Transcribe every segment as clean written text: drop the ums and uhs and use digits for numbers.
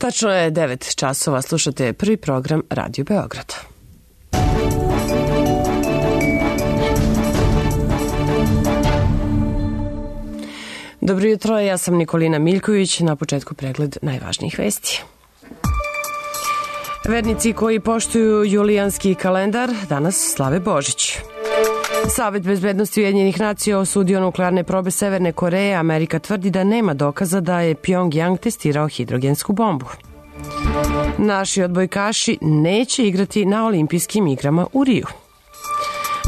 Tačno je 9 časova, slušate prvi program Radio Beograda. Dobro jutro, ja sam Nikolina Miljković, na početku pregled najvažnijih vesti. Vernici koji poštuju julijanski kalendar danas slave Božić. Savet bezbednosti Ujedinjenih nacija osudio nuklearne probe Severne Koreje. Amerika tvrdi da nema dokaza da je Pjongjang testirao hidrogensku bombu. Naši odbojkaši neće igrati na olimpijskim igrama u Riju.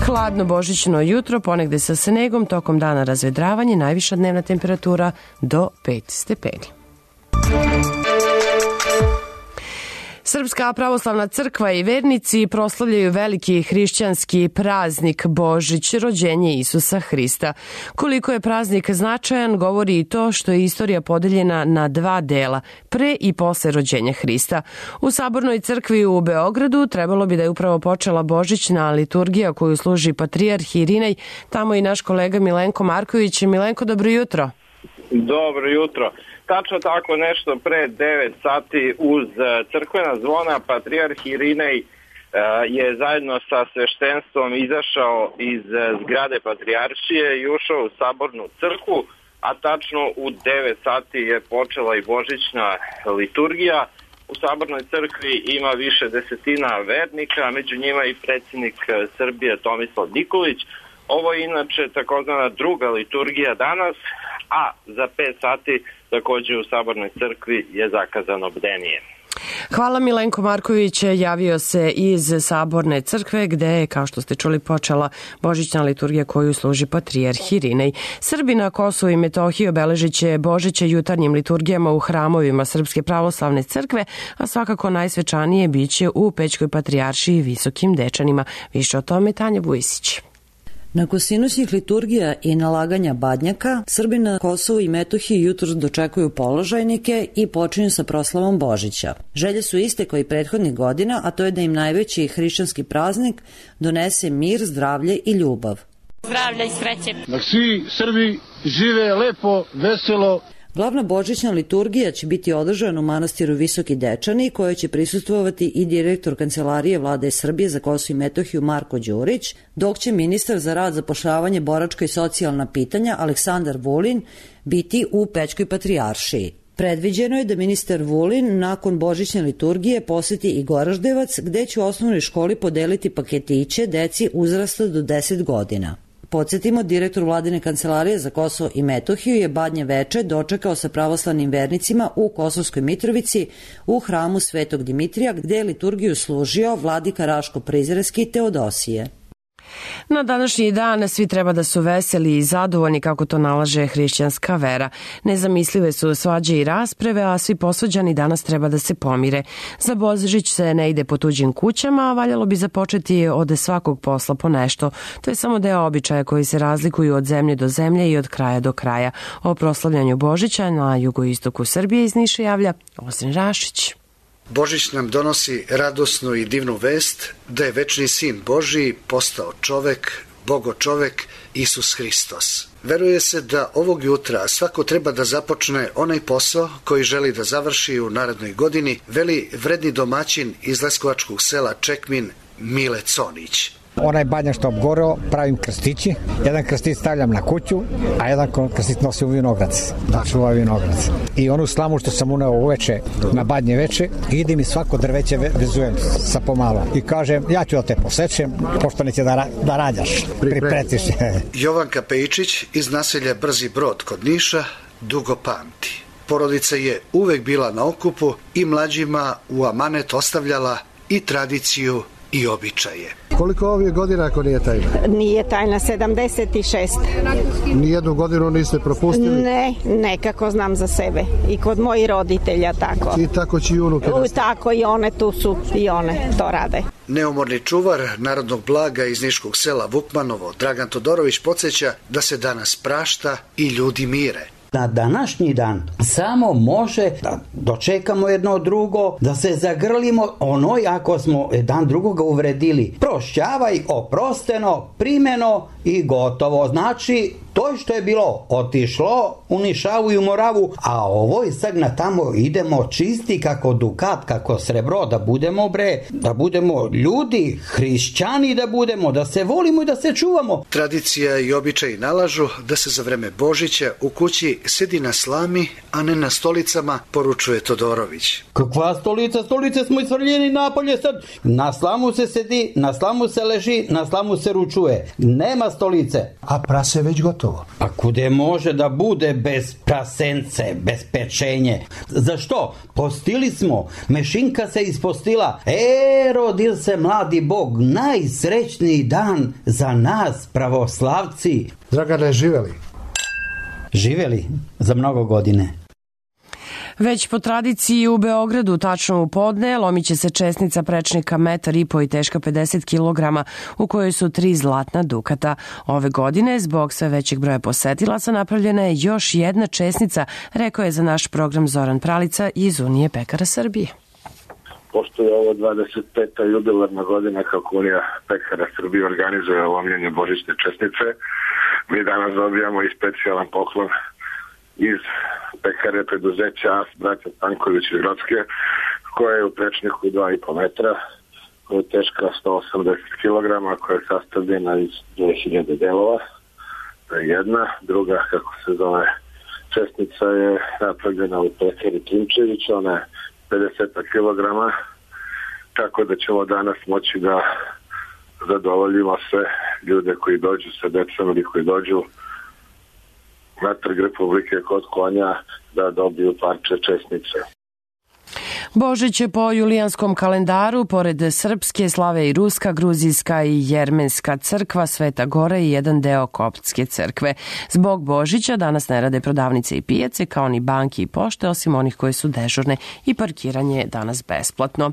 Hladno božićno jutro, ponegde sa snegom, tokom dana razvedravanje, najviša dnevna temperatura do 5 stepeni. Srpska pravoslavna crkva i vernici proslavljaju veliki hrišćanski praznik Božić, rođenje Isusa Hrista. Koliko je praznik značajan govori i to što je istorija podeljena na dva dela, pre i posle rođenja Hrista. U Sabornoj crkvi u Beogradu trebalo bi da je upravo počela božićna liturgija koju služi patrijarh Irinej. Tamo i naš kolega Milenko Marković. Milenko, dobro jutro. Dobro jutro. Tačno tako nešto pre 9 sati uz crkvena zvona patrijarh Irinej je zajedno sa sveštenstvom izašao iz zgrade patrijaršije i ušao u Sabornu crkvu, a tačno u 9 sati je počela i božićna liturgija. U Sabornoj crkvi ima više desetina vernika, među njima i predsjednik Srbije Tomislav Nikolić. Ovo je inače takozvana druga liturgija danas, a za 5 sati također u Sabornoj crkvi je zakazano bdenije. Hvala. Milenko Marković javio se iz Saborne crkve gde je, kao što ste čuli, počela božićna liturgija koju služi patrijarh Irinej. Srbi na Kosovu i Metohiji obeležit će Božiće jutarnjim liturgijama u hramovima Srpske pravoslavne crkve, a svakako najsvečanije biće u Pećkoj patrijaršiji i Visokim Dečanima. Više o tome Tanja Vujisić. Nakon sinoćnih liturgija i nalaganja badnjaka, Srbi na Kosovu i Metohiji jutros dočekuju položajnike i počinju sa proslavom Božića. Želje su iste kao i prethodnih godina, a to je da im najveći hrišćanski praznik donese mir, zdravlje i ljubav. Zdravlje i sreće. Da svi Srbi žive lepo, veselo. Glavna božićna liturgija će biti održana u manastiru Visoki Dečani, kojoj će prisustvovati i direktor Kancelarije Vlade Srbije za Kosovo i Metohiju Marko Đurić, dok će ministar za rad, zapošljavanje, boračka i socijalna pitanja Aleksandar Vulin biti u Pećkoj patrijaršiji. Predviđeno je da ministar Vulin nakon božićne liturgije poseti i Goraždevac, gde će u osnovnoj školi podeliti paketiće deci uzrasta do 10 godina. Podsjetimo, direktor Vladine kancelarije za Kosovo i Metohiju je Badnje veče dočekao sa pravoslavnim vernicima u Kosovskoj Mitrovici u hramu Svetog Dimitrija, gde je liturgiju služio vladika Raško Prizrenski Teodosije. Na današnji dan svi treba da su veseli i zadovoljni kako to nalaže hrišćanska vera. Nezamislive su svađe i rasprave, a svi posvađani danas treba da se pomire. Za Božić se ne ide po tuđim kućama, a valjalo bi započeti od svakog posla po nešto. To je samo deo običaja koji se razlikuju od zemlje do zemlje i od kraja do kraja. O proslavljanju Božića na jugoistoku Srbije iz Niša javlja Ozren Rašić. Božić nam donosi radosnu i divnu vest da je večni sin Božiji postao čovek, Bogo čovek, Isus Hristos. Veruje se da ovog jutra svako treba da započne onaj posao koji želi da završi u narednoj godini, veli vredni domaćin iz leskovačkog sela Čekmin Mile Conić. Onaj badnjak što obgoreo, pravim krstići. Jedan krstić stavljam na kuću, a jedan krstić nosim u vinograc. Da čuva vinograc. I onu slamu što sam uneo uveče na badnje veče, idem i svako drveće vezujem sa pomalo. I kažem, ja ću da te posečem, pošto neće da rađaš. Pripretiš. Jovanka Pejičić iz naselja Brzi Brod kod Niša dugo pamti. Porodica je uvek bila na okupu i mlađima u amanet ostavljala i tradiciju i običaje. Koliko ovih godina ako nije tajna? Nije tajna, 76. Nijednu godinu niste propustili? Ne, nekako znam za sebe. I kod mojih roditelja tako. I tako će i unuke? Tako i one tu su, i one to rade. Neumorni čuvar narodnog blaga iz niškog sela Vukmanovo, Dragan Todorović, podsjeća da se danas prašta i ljudi mire. Na današnji dan samo može da dočekamo jedno drugo, da se zagrlimo onoj ako smo jedan drugoga uvredili. Prošćavaj, oprosteno, primeno i gotovo. Znači, to što je bilo otišlo u Nišavu i u Moravu, a ovoj sad na tamo idemo čisti kako dukat, kako srebro, da budemo ljudi, hrišćani da budemo, da se volimo i da se čuvamo. Tradicija i običaji nalažu da se za vreme Božića u kući sedi na slami, a ne na stolicama, poručuje Todorović. Kakva stolica? Stolice smo isvrljeni napolje sad. Na slamu se sedi, na slamu se leži, na slamu se ručuje. Nema stolice. A prase već gotovo. A kude može da bude bez prasence, bez pečenje? Zašto? Postili smo. Mešinka se ispostila. Rodil se mladi Bog. Najsrećniji dan za nas, pravoslavci. Dragane, živeli? Živeli za mnogo godine. Već po tradiciji u Beogradu, tačno u podne, lomit će se česnica prečnika 1,5 m i teška 50 kg, u kojoj su 3 zlatna dukata. Ove godine, zbog sve većeg broja posetilaca, napravljena je još jedna česnica, rekao je za naš program Zoran Pralica iz Unije pekara Srbije. Pošto je ovo 25. jubilarna godina kako Unija pekara Srbije organizuje lomljenje božićne česnice, mi danas dobijamo i specijalan poklon iz pekare preduzeća AS braća Stanković iz Grocke, koja je u prečniku 2,5 metra, koja je teška 180 kg, koja je sastavljena iz 2000 delova. To je jedna. Druga, kako se zove, česnica je napravljena u pekari Klimčević, ona je 50 kg, tako da ćemo danas moći da zadovoljimo sve ljude koji dođu sa decom ili koji dođu na Trg Republike kod konja da dobiju parče česnice. Božić je po julijanskom kalendaru, pored srpske, slave i ruska, gruzijska i jermenska crkva, Sveta Gora i jedan deo koptske crkve. Zbog Božića danas ne rade prodavnice i pijace, kao ni banke i pošte, osim onih koje su dežurne, i parkiranje je danas besplatno.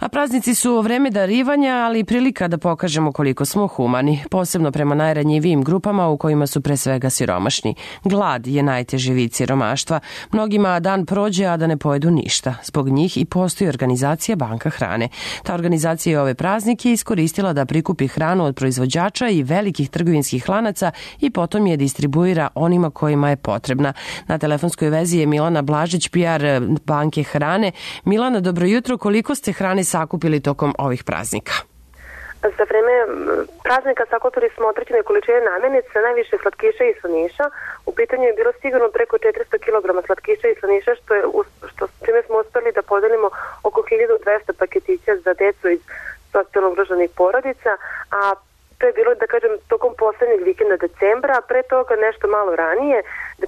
A praznici su vreme darivanja, ali i prilika da pokažemo koliko smo humani, posebno prema najranjivijim grupama u kojima su pre svega siromašni. Glad je najteži vid siromaštva. Mnogima dan prođe, a da ne pojedu ništa. Zbog njih i postoji organizacija Banka hrane. Ta organizacija je ove praznike iskoristila da prikupi hranu od proizvođača i velikih trgovinskih lanaca i potom je distribuira onima kojima je potrebna. Na telefonskoj vezi je Milana Blažić, PR Banke hrane. Milana, dobro jutro. Koliko ste hrane sakupili tokom ovih praznika? Za vreme praznika sakupili smo određene količine namirnica, najviše slatkiša i slaniša. U pitanju je bilo sigurno preko 400 kg slatkiša i slaniša, čime smo uspeli da podelimo oko 1200 paketića za decu iz socijalno ugroženih porodica, a to je bilo, da kažem, tokom poslednjeg vikenda decembra, a pre toga nešto malo ranije,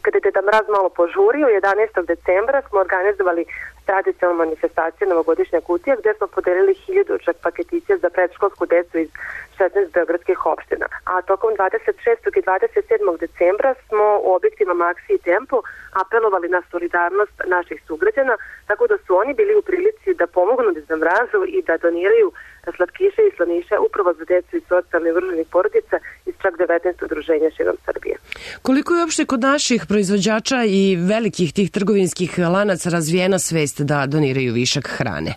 kada je Deda Mraz malo požurio, 11. decembra smo organizovali tradicionalnu manifestaciju Novogodišnja kutija, gde smo podelili 1000 čak paketića za predškolsku decu iz 16 beogradskih opština. A tokom 26. i 27. decembra smo u objektima Maxi i Tempo apelovali na solidarnost naših sugrađana, tako da su oni bili u prilici da pomognu Deda Mrazu i da doniraju slatkiše i slaniše upravo za decu iz socijalno ugroženih porodica iz čak 19 udruženja širom Srbije. Koliko je uopšte kod naših proizvođača i velikih tih trgovinskih lanaca razvijena svest da doniraju višak hrane?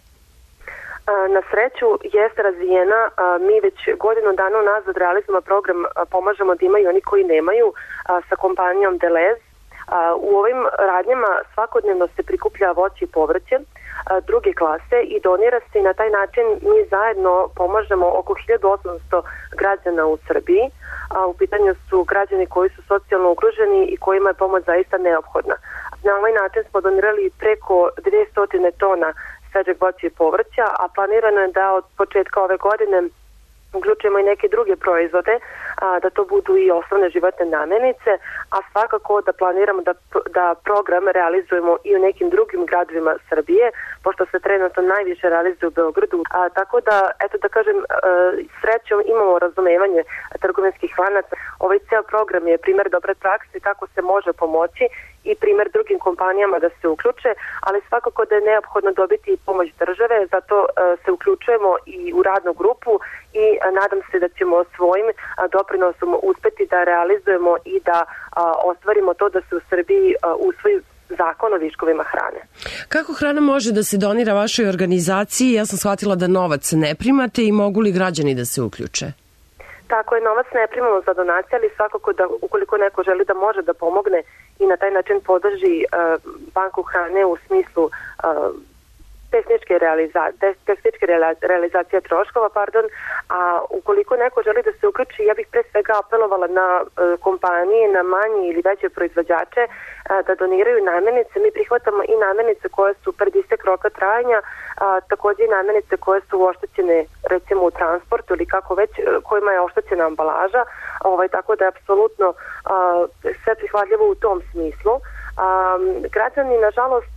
Na sreću jeste razvijena. Mi već godinu dana unazad realizujemo program Pomažemo da imaju oni koji nemaju sa kompanijom Delez. U ovim radnjama svakodnevno se prikuplja voće i povrće druge klase i donira se i na taj način mi zajedno pomažemo oko 1800 građana u Srbiji. U pitanju su građani koji su socijalno ugroženi i kojima je pomoć zaista neophodna. Na ovaj način smo donirali preko 200 tona svežeg voća i povrća, a planirano je da od početka ove godine uključujemo i neke druge proizvode, da to budu i osnovne životne namirnice, a svakako da planiramo da program realizujemo i u nekim drugim gradovima Srbije, pošto se trenutno najviše realizuje u Beogradu. Tako da, eto da kažem, srećom imamo razumevanje trgovinskih lanaca. Ovaj ceo program je primer dobre prakse kako se može pomoći i primer drugim kompanijama da se uključe, ali svakako da je neophodno dobiti i pomoć države, zato se uključujemo i u radnu grupu i nadam se da ćemo svojim doprinosom uspeti da realizujemo i da ostvarimo to da se u Srbiji usvoji zakon o viškovima hrane. Kako hrana može da se donira vašoj organizaciji? Ja sam shvatila da novac ne primate i mogu li građani da se uključe? Tako je, novac ne primamo za donacije, ali svakako da ukoliko neko želi da može da pomogne i na taj način podrži banku hrane u smislu tehničke realizacije troškova, a ukoliko neko želi da se uključi, ja bih pre svega apelovala na kompanije, na manje ili veće proizvođače da doniraju namirnice. Mi prihvatamo i namirnice koje su pred istek roka trajanja, takođe i namirnice koje su oštećene recimo u transportu ili kako već, kojima je oštećena ambalaža, tako da je apsolutno sve prihvatljivo u tom smislu. Građani nažalost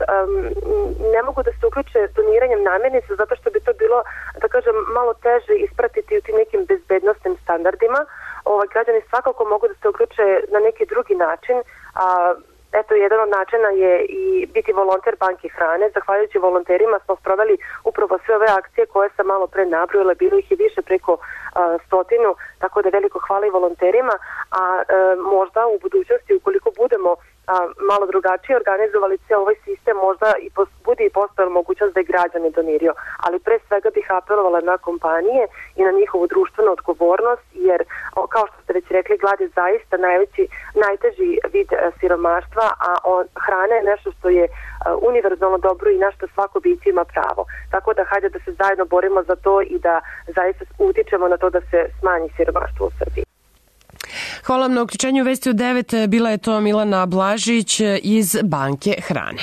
ne mogu da se uključe doniranjem namirnica zato što bi to bilo, da kažem, malo teže ispratiti u tim nekim bezbednostnim standardima. Građani svakako mogu da se uključe na neki drugi način. Eto, jedan od načina je i biti volonter banke hrane. Zahvaljujući volonterima smo sproveli upravo sve ove akcije koje sam malo pre nabrojila, bilo ih je više preko 100, tako da veliko hvala i volonterima, a možda u budućnosti ukoliko budemo malo drugačije organizovali cijel ovaj sistem, možda i bude i postojala mogućnost da je građani doniraju. Ali pre svega bih apelovala na kompanije i na njihovu društvenu odgovornost, jer kao što ste već rekli, glad je zaista najteži vid siromaštva, a hrana je nešto što je univerzalno dobro i na što svako biće ima pravo. Tako da hajde da se zajedno borimo za to i da zaista utičemo na to da se smanji siromaštvo u Srbiji. Hvala vam na uključenju Vesti u 9. Bila je to Milana Blažić iz Banke hrane.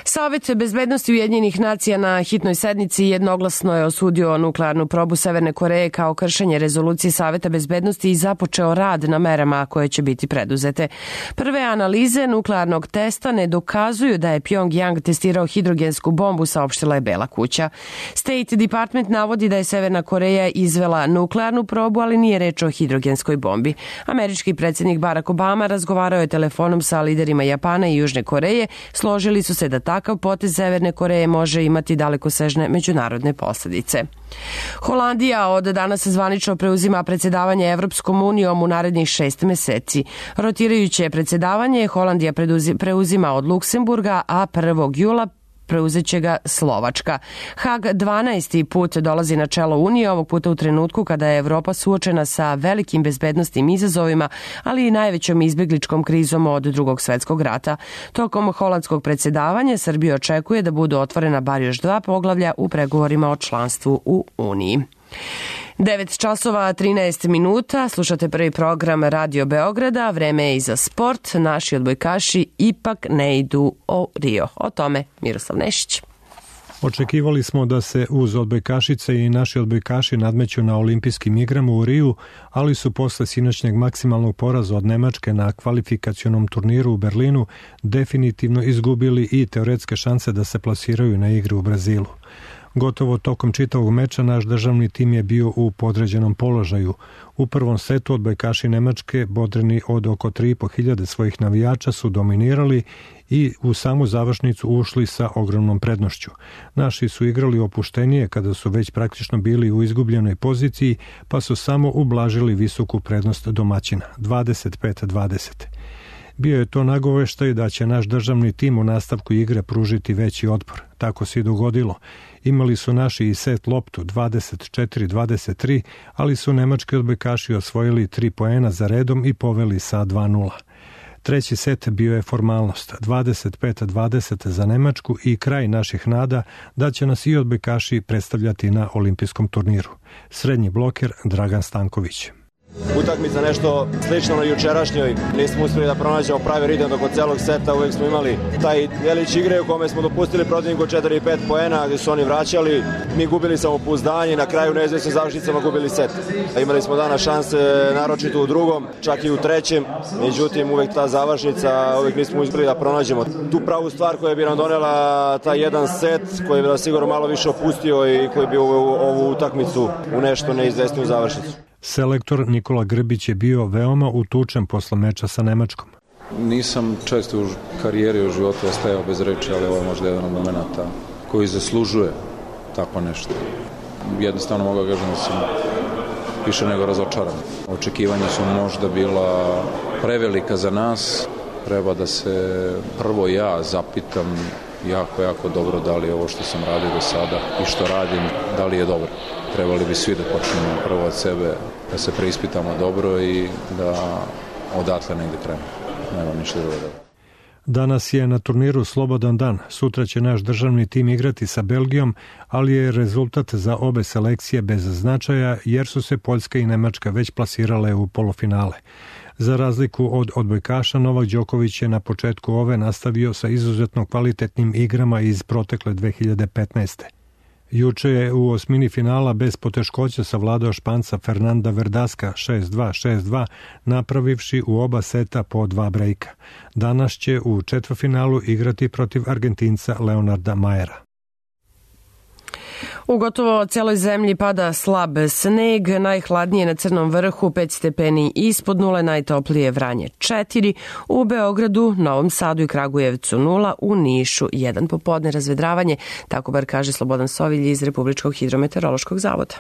Savet bezbednosti Ujedinjenih nacija na hitnoj sednici jednoglasno je osudio nuklearnu probu Severne Koreje kao kršenje rezolucije Saveta bezbednosti i započeo rad na merama koje će biti preduzete. Prve analize nuklearnog testa ne dokazuju da je Pyongyang testirao hidrogensku bombu, saopštila je Bela kuća. State Department navodi da je Severna Koreja izvela nuklearnu probu, ali nije reč o hidrogenskoj bombi. Američki predsjednik Barack Obama razgovarao je telefonom sa liderima Japana i Južne Koreje, složili su se da takav potez Severne Koreje može imati dalekosežne međunarodne posledice. Holandija od danas zvanično preuzima predsjedavanje Evropskom unijom u narednih 6 meseci. Rotirajuće predsjedavanje Holandija preuzima od Luksemburga, a 1. jula preuzeće ga Slovačka. Hag 12. put dolazi na čelo Unije, ovog puta u trenutku kada je Evropa suočena sa velikim bezbednostnim izazovima, ali i najvećom izbjegličkom krizom od Drugog svjetskog rata. Tokom holandskog predsjedavanja Srbija očekuje da budu otvorena bar još 2 poglavlja u pregovorima o članstvu u Uniji. 9 časova 13 minuta, slušate prvi program Radio Beograda, vreme je i za sport, naši odbojkaši ipak ne idu u Rio. O tome Miroslav Nešić. Očekivali smo da se uz odbojkašice i naši odbojkaši nadmeću na olimpijskim igrama u Riju, ali su posle sinoćnjeg maksimalnog poraza od Nemačke na kvalifikacionom turniru u Berlinu definitivno izgubili i teoretske šanse da se plasiraju na igre u Brazilu. Gotovo tokom čitavog meča naš državni tim je bio u podređenom položaju. U prvom setu odbojkaši Nemačke, bodreni od oko 3.500 svojih navijača, su dominirali i u samu završnicu ušli sa ogromnom prednošću. Naši su igrali opuštenije kada su već praktično bili u izgubljenoj poziciji, pa su samo ublažili visoku prednost domaćina, 25-20. Bio je to nagoveštaj da će naš državni tim u nastavku igre pružiti veći otpor. Tako se i dogodilo. Imali su naši i set loptu 24-23, ali su nemački odbojkaši osvojili 3 poena za redom i poveli sa 2:0. Treći set bio je formalnost, 25-20 za Nemačku i kraj naših nada da će nas i odbojkaši predstavljati na olimpijskom turniru. Srednji bloker Dragan Stanković. Utakmica nešto slično na jučerašnjoj, nismo uspjeli da pronađemo pravi ritam dok od celog seta, uvijek smo imali taj delić igre u kome smo dopustili protivniku 4 i 5 poena gdje su oni vraćali, mi gubili samopouzdanje i na kraju neizvjesnim završnicama gubili set. Imali smo danas šanse naročito u drugom, čak i u trećem, međutim uvijek ta završnica, uvijek nismo uspjeli da pronađemo tu pravu stvar koja bi nam donela taj jedan set koji bi nas sigurno malo više opustio i koji bi ovu utakmicu u nešto neizvjesniju završnicu. Selektor Nikola Grbić je bio veoma utučen posle meča sa Nemačkom. Nisam često u karijeri u životu ostajao bez reči, ali ovo je možda jedan od momenta koji zaslužuje tako nešto. Jednostavno mogu da kažem da sam više nego razočaran. Očekivanja su možda bila prevelika za nas. Treba da se prvo ja zapitam jako dobro da li je ovo što sam radio do sada i što radim, da li je dobro. Trebali bi svi da počnemo prvo od sebe, da se preispitamo dobro i da odatle negde krenemo. Nema ništa drugo da. Danas je na turniru slobodan dan. Sutra će naš državni tim igrati sa Belgijom, ali je rezultat za obe selekcije bez značaja jer su se Poljska i Nemačka već plasirale u polufinale. Za razliku od odbojkaša, Novak Đoković je na početku ove nastavio sa izuzetno kvalitetnim igrama iz protekle 2015. Juče je u osmini finala bez poteškoća savladao Španca Fernanda Verdaska 6-2, 6-2, napravivši u oba seta po 2 brejka. Danas će u četvrtfinalu igrati protiv Argentinca Leonarda Majera. U gotovo celoj zemlji pada slab sneg, najhladnije na Crnom vrhu 5 stepeni ispod nule, najtoplije Vranje 4, u Beogradu, Novom Sadu i Kragujevcu 0, u Nišu 1 popodne razvedravanje, tako bar kaže Slobodan Sovilj iz Republičkog hidrometeorološkog zavoda.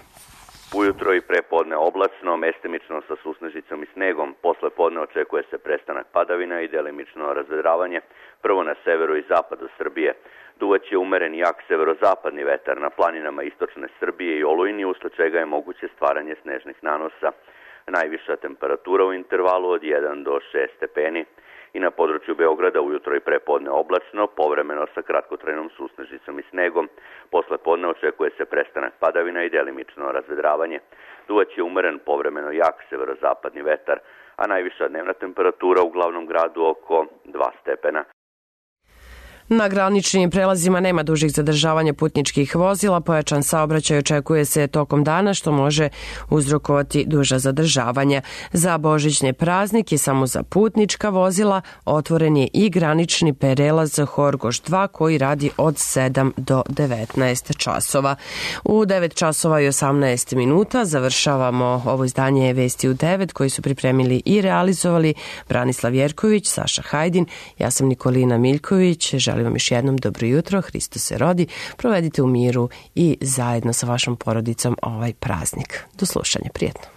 Ujutro i prepodne oblačno, mestimično sa susnežicom i snegom. Posle podne očekuje se prestanak padavina i delimično razvedravanje, prvo na severu i zapadu Srbije. Duvaće umeren jak severozapadni vetar na planinama istočne Srbije i olujni, usled čega je moguće stvaranje snežnih nanosa. Najviša temperatura u intervalu od 1 do 6 stepeni. I na području Beograda ujutro i prepodne oblačno, povremeno sa kratkotrajnom susnežicom i snegom. Posle podne očekuje se prestanak padavina i delimično razvedravanje. Duvaće umeren povremeno jak severozapadni vetar, a najviša dnevna temperatura u glavnom gradu oko 2 stepena. Na graničnim prelazima nema dužih zadržavanja putničkih vozila, pojačan saobraćaj očekuje se tokom dana što može uzrokovati duža zadržavanja. Za božićne praznike samo za putnička vozila otvoren je i granični prelaz Horgoš 2 koji radi od 7 do 19 časova. U 9 časova i 18 minuta završavamo ovo izdanje Vesti u 9 koji su pripremili i realizovali Branislav Jerković, Saša Hajdin, ja sam Nikolina Miljković. Želim vam još jednom dobro jutro, Hristos se rodi, provedite u miru i zajedno sa vašom porodicom ovaj praznik. Do slušanja, prijetno.